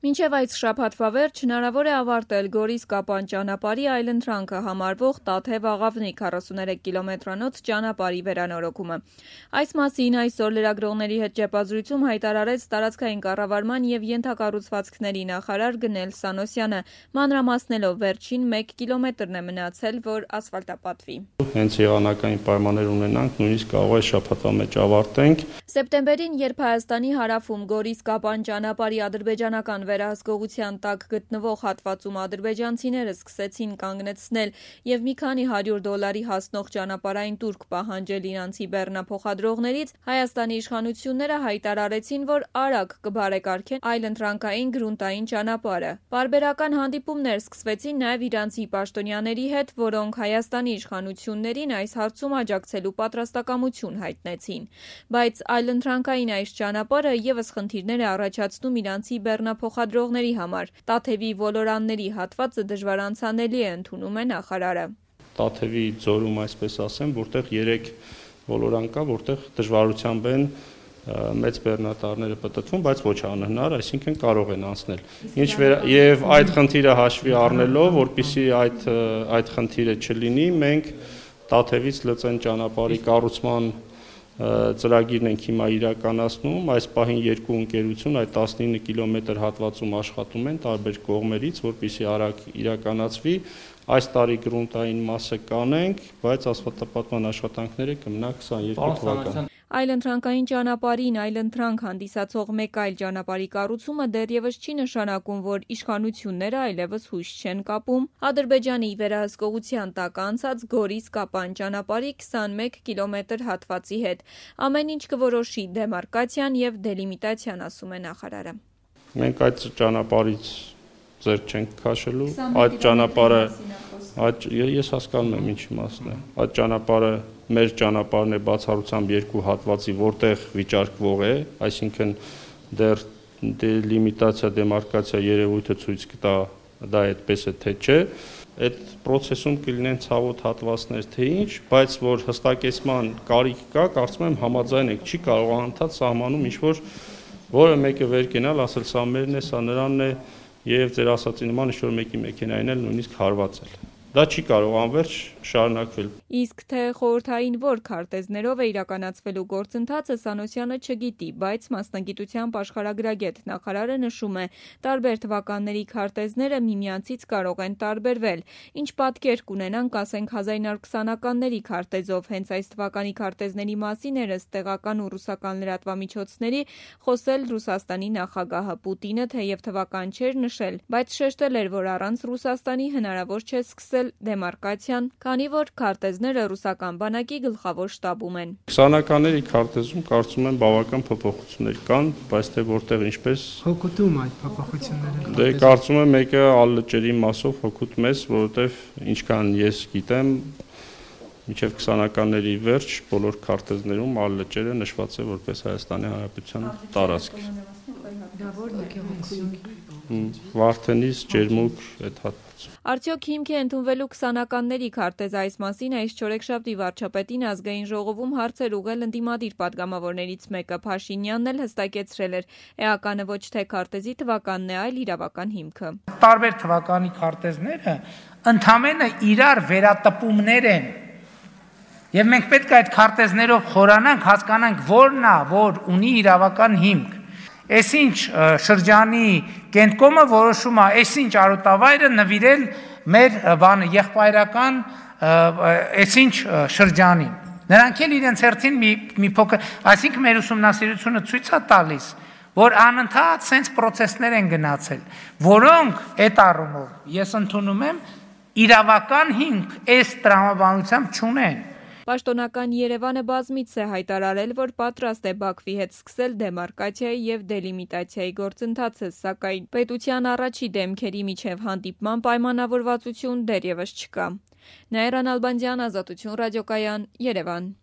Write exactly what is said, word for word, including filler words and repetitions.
Մինչև այս շաբաթվա վերջ հնարավոր է ավարտել Գորիս-Կապան ճանապարհի այլընտրանքը համարվող Տաթև-Աղավնի քառասուներեք կիլոմետրանոց ճանապարհի վերանորոգումը։ Այս մասին այսօր լրագրողների հետ ճեպազրույցում հայտարարեց տարածքային կառավարման և ենթակառուցվածքների նախարար Գնել Սանոսյանը, մանրամասնելով վերջին մեկ կիլոմետրն է մնացել, որ ասֆալտապատվի։ Հենց եղանակային պայմաններ ունենանք, նույնիսկ կարող է շաբաթվա մեջ ավարտենք։ Սեպտեմբերին, երբ Հայաստանի հարավում Գորիս-Կապան ճանապարհի ադրբեջանական վերահսկողության տակ գտնվող հատվածում ադրբեջանցիները սկսեցին կանգնեցնել և մի քանի հարյուր դոլարի հասնող ճանապարհային տուրք պահանջել իրանցի բեռնափոխադրողներից, Հայաստանի իշխանությունները հայտարարեցին, որ արագ կբարեկարգեն այլընտրանքային գրունտային ճանապարհը։ Պարբերական հանդիպումներ սկսվեցին նաև իրանցի պաշտոնյաների հետ, որոնք Հայաստանի իշխանություններին այս հարցում աջակցելու պատրաստակամություն հայտնեցին։ Բայց այլընտրանքային այս ճանապարհը ևս խնդիրներ է առաջացնում իրանցի բեռնափոխադրողների համար։ Տաթևի ոլորանների հատվածը դժվար անցանելի է, ընդունում է նախարարը։ Տաթևի ձորում, այսպես ասեմ, որտեղ երեք ոլորան կա, որտեղ դժվարությամբ են մեծ բեռնատարները պտտվում, բայց ոչ անհնար, այսինքն կարող են անցնել։ Ինչ եւ այդ խնդիրը հաշվի առնելով, որպեսզի այդ այդ խնդիրը չլինի, մենք Տաթևից Լծեն ճանապարհի կառուցման ծրագիրն ենք հիմա իրականացնում, այս պահին երկու ընկերություն այդ տասնինը կիլոմետր հատվածում աշխատում են տարբեր կողմերից, որպեսզի արագ իրականացվի, այս տարի գրունտային մասը կանենք, բայց ասֆալտապատման աշխատանքները կմնա քսաներկու թվական։ Այլընտրանքային ճանապարհին այլընտրանք հանդիսացող մեկ այլ ճանապարհի կառուցումը դեռևս չի նշանակում, որ իշխանությունները այլևս հույս չեն կապում Ադրբեջանի վերահսկողության տակ անցած Գորիս-Կապան ճանապարհի քսանմեկ կիլոմետր հատվածի հետ։ Ամեն ինչ կորոշի դեմարկացիան եւ դելիմիտացիան, ասում է նախարարը։ Մենք այդ ճանապարհից ձեռք չենք քաշելու, այդ ճանապարհը այդ ես հասկանում եմ ինչ իմաստն է։ Այդ ճանապարհը մեր ճանապարհն է բացառությամբ երկու հատվածի, որտեղ վիճարկվող է, այսինքն դեռ դելիմիտացիա, դեմարկացիա երևույթը ցույց կտա դա այդպես է թե չէ։ Այդ process-ում կլինեն ցավոտ հատվածներ թե ինչ, բայց որ հստակեցման կարիք կա, կարծում եմ համաձայն եք, չի կարող անընդհատ սահմանում ինչ-որ որը մեկը վեր կենալ, ասել սա մերն է, սա նրանն է եւ ձեր ասածի նման ինչ-որ մեկի մեքենային էլ նույնիսկ հարվածել։ Դա չի կարող անվերջ շարունակվել։ Իսկ թե խորհրդային որ քարտեզներով է իրականացվելու գործընթացը Սանոսյանը չգիտի, բայց մասնագիտությամբ աշխարհագրագետ նախարարը նշում է, տարբեր թվականների քարտեզները միմյանցից կարող են տարբերվել։ Ինչ պատկեր կունենանք, ասենք հազար իննյակ քսանականների քարտեզով, հենց այս թվականի քարտեզների մասին էր ըստ տեղական ու ռուսական լրատվամիջոցների խոսել Ռուսաստանի նախագահը Պուտինը, թեև թվական չէր նշել, բայց շեշտել էր, որ առանց Ռուսաստանի հնարավոր չէ սկսել դեմարկացիան, քանի որ քարտեզները ռուսական բանակի գլխավոր շտաբում են։ Քսանականների քարտեզում կարծում եմ բավական փոփոխություններ կան, բայց թե որտեղ ինչպես հոգուտում այդ փոփոխությունները։ Դե կարծում եմ մեկը ալլճերի մասով հոգուտ մեզ, որովհետև ինչքան ես գիտեմ, մինչև քսանականների վերջ բոլոր քարտեզներում ալլճերը նշված է որպես Հայաստանի Հանրապետության տարածք։ Դա որն է գեղեցիկ։ Վարդենիս, Ջերմուկ, այդ հատվածում։ Արդյոք հիմք է ընդունվելու քսանականների քարտեզ, այս մասին այս չորեքշաբթի վարչապետին ազգային ժողովում հարցեր ուղղել ընդդիմադիր պատգամավորներից մեկը, Փաշինյանն էլ հստակեցրել էր, էականը ոչ թե քարտեզի թվականն է, այլ իրավական հիմքը։ Տարբեր թվականի քարտեզները ընդամենը իրար վերատպումներ են։ Եվ մենք պետք է այդ քարտեզներով խորանանք, հասկանանք որն է, որ ունի իրավական հիմք։ Այսինչ շրջանի կենտկոմը որոշում է, այսինչ արոտավայրը նվիրել մեր բանը եղբայրական այսինչ շրջանին։ Նրանք էլ իրենց հերթին մի մի փոքր, այսինքն մեր ուսումնասիրությունը ցույց է տալիս, որ անընդհատ sense process-ներ են գնացել, որոնք այդ առումով ես ընդունում եմ իրավական հիմք այս տրամաբանությամբ չունեն։ Պաշտոնական Երևանը բազմիցս է հայտարարել, որ պատրաստ է Բաքվի հետ սկսել դեմարկացիայի և դելիմիտացիայի գործընթացը, սակայն պետության առաջի դեմքերի միջև հանդիպման պայմանավորվածություն դեռևս չկա։ Նաիրա Նալբանդյան, Ազատություն ռադիոկայան, Երևան։